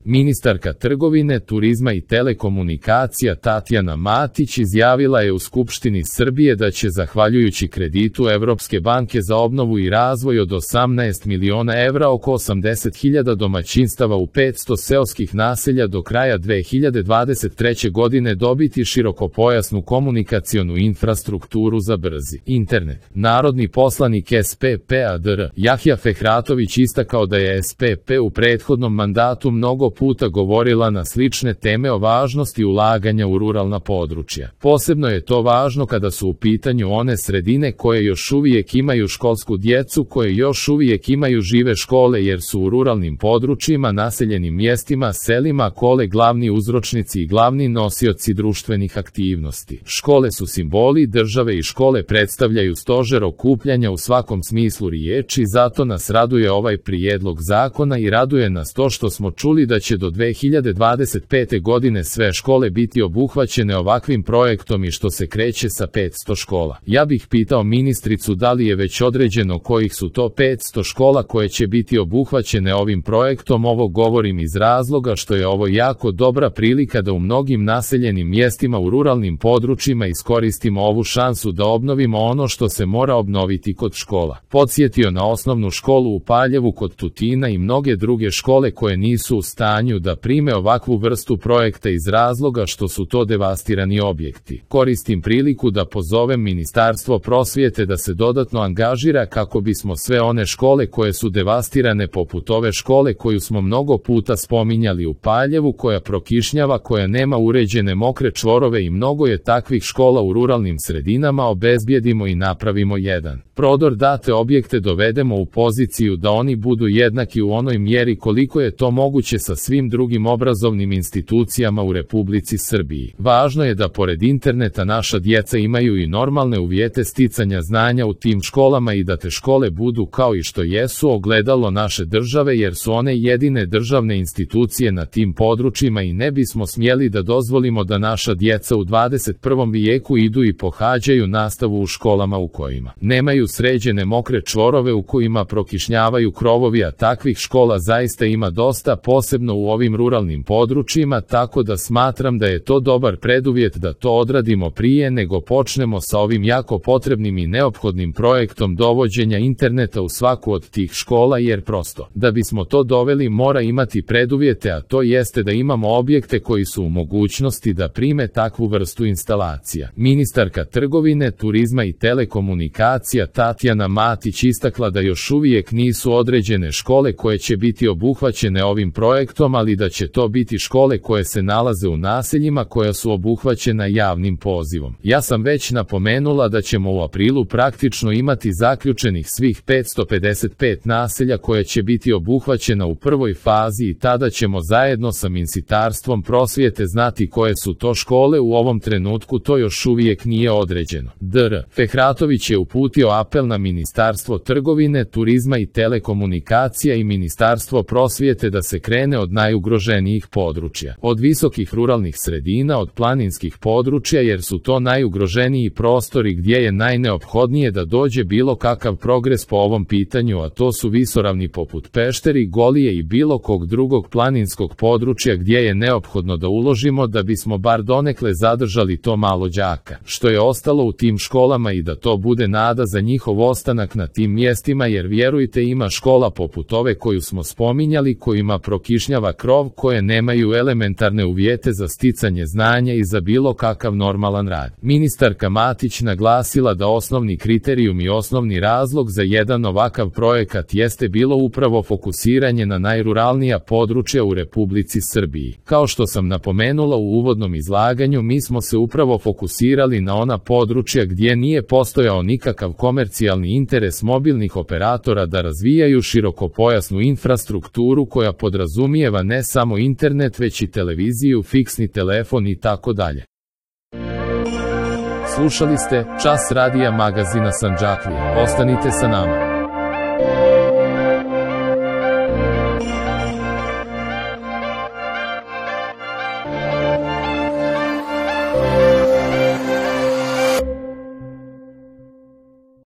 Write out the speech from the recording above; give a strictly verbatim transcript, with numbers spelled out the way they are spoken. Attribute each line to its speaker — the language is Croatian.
Speaker 1: Ministarka trgovine, turizma i telekomunikacija Tatjana Matić izjavila je u Skupštini Srbije da će, zahvaljujući kreditu Evropske banke za obnovu i razvoj od osamnaest miliona evra, oko osamdeset hiljada domaćinstava u petsto seoskih naselja do kraja dve hiljade dvadeset treće. godine dobiti širokopojasnu komunikacionu infrastrukturu za brzi internet. Narodni poslanik S P P-a dr Jahja Fehratović istakao da je S P P u prethodnom mandatu mnogo puta govorila na slične teme o važnosti ulaganja u ruralna područja. Posebno je to važno kada su u pitanju one sredine koje još uvijek imaju školsku djecu, koje još uvijek imaju žive škole, jer su u ruralnim područjima, naseljenim mjestima, selima škole glavni uzročnici i glavni nosioci društvenih aktivnosti. Škole su simboli države i škole predstavljaju stožer okupljanja u svakom smislu riječi, zato nas raduje ovaj prijedlog zakona i raduje nas to što smo čuli da će do dve hiljade dvadeset pete. godine sve škole biti obuhvaćene ovakvim projektom i što se kreće sa petsto škola. Ja bih pitao ministricu da li je već određeno kojih su to petsto škola koje će biti obuhvaćene ovim projektom. Ovo govorim iz razloga što je ovo jako dobra prilika da u mnogim naseljenim mjestima u ruralnim područjima iskoristimo ovu šansu da obnovimo ono što se mora obnoviti kod škola. Podsjetio na osnovnu školu u Paljevu kod Tutina i mnoge druge škole koje nisu u stanju da prime ovakvu vrstu projekta iz razloga što su to devastirani objekti. Koristim priliku da pozovem Ministarstvo prosvjete da se dodatno angažira kako bismo sve one škole koje su devastirane, poput ove škole koju smo mnogo puta spominjali u Paljevu, koja prokišnjava, koja nema uređene mokre čvorove i mnogo je takvih škola u ruralnim sredinama, obezbijedimo i napravimo jedan prodor, date objekte dovedemo u poziciju da oni budu jednaki u onoj mjeri koliko je to moguće sa svim drugim obrazovnim institucijama u Republici Srbiji. Važno je da pored interneta naša djeca imaju i normalne uvjete sticanja znanja u tim školama i da te škole budu, kao i što jesu, ogledalo naše države, jer su one jedine državne institucije na tim područjima i ne bismo smjeli da dozvolimo da naša djeca u dvadeset prvom vijeku idu i pohađaju nastavu u školama u kojima nemaju sređene mokre čvorove, u kojima prokišnjavaju krovovi, a takvih škola zaista ima dosta, posebno u ovim ruralnim područjima, tako da smatram da je to dobar preduvjet da to odradimo prije nego počnemo sa ovim jako potrebnim i neophodnim projektom dovođenja interneta u svaku od tih škola, jer prosto, da bismo to doveli, mora imati preduvjete, a to jeste da imamo objekte koji su u mogućnosti da prime takvu vrstu instalacija. Ministarka trgovine, turizma i telekomunikacija Tatjana Matić istakla da još uvijek nisu određene škole koje će biti obuhvaćene ovim projektom, ali da će to biti škole koje se nalaze u naseljima koja su obuhvaćena javnim pozivom. Ja sam već napomenula da ćemo u aprilu praktično imati zaključenih svih petsto pedeset pet naselja koje će biti obuhvaćena u prvoj fazi i tada ćemo zajedno sa Ministarstvom prosvjete znati koje su to škole. U ovom trenutku to još uvijek nije određeno. dr Fehratović je uputio apel na Ministarstvo trgovine, turizma i telekomunikacija i Ministarstvo prosvjete da se krene od najugroženijih područja, od visokih ruralnih sredina, od planinskih područja, jer su to najugroženiji prostori gdje je najneophodnije da dođe bilo kakav progres po ovom pitanju, a to su visoravni poput Pešteri, Golije i bilo kog drugog planinskog područja gdje je neophodno da uložimo da bismo bar donekle zadržali to malo đaka što je ostalo u tim školama i da to bude nada za njihov ostanak na tim mjestima, jer vjerujte, ima škola poput ove koju smo spominjali kojima prokišnjava krov, koje nemaju elementarne uvjete za sticanje znanja i za bilo kakav normalan rad. Ministarka Matić naglasila da osnovni kriterijum i osnovni razlog za jedan ovakav projekat jeste bilo upravo fokusiranje na najruralnija područja u Republici Srbiji. Kao što sam napomenula u uvodnom izlaganju, mi smo se upravo fokusirali na ona područja gdje nije postojao nikakav komercijalni interes mobilnih operatora da razvijaju širokopojasnu infrastrukturu koja podrazumijeva ne samo internet, već i televiziju, fiksni telefon i tako dalje. Slušali ste Čas radija magazina Sandžaklija. Ostanite sa nama.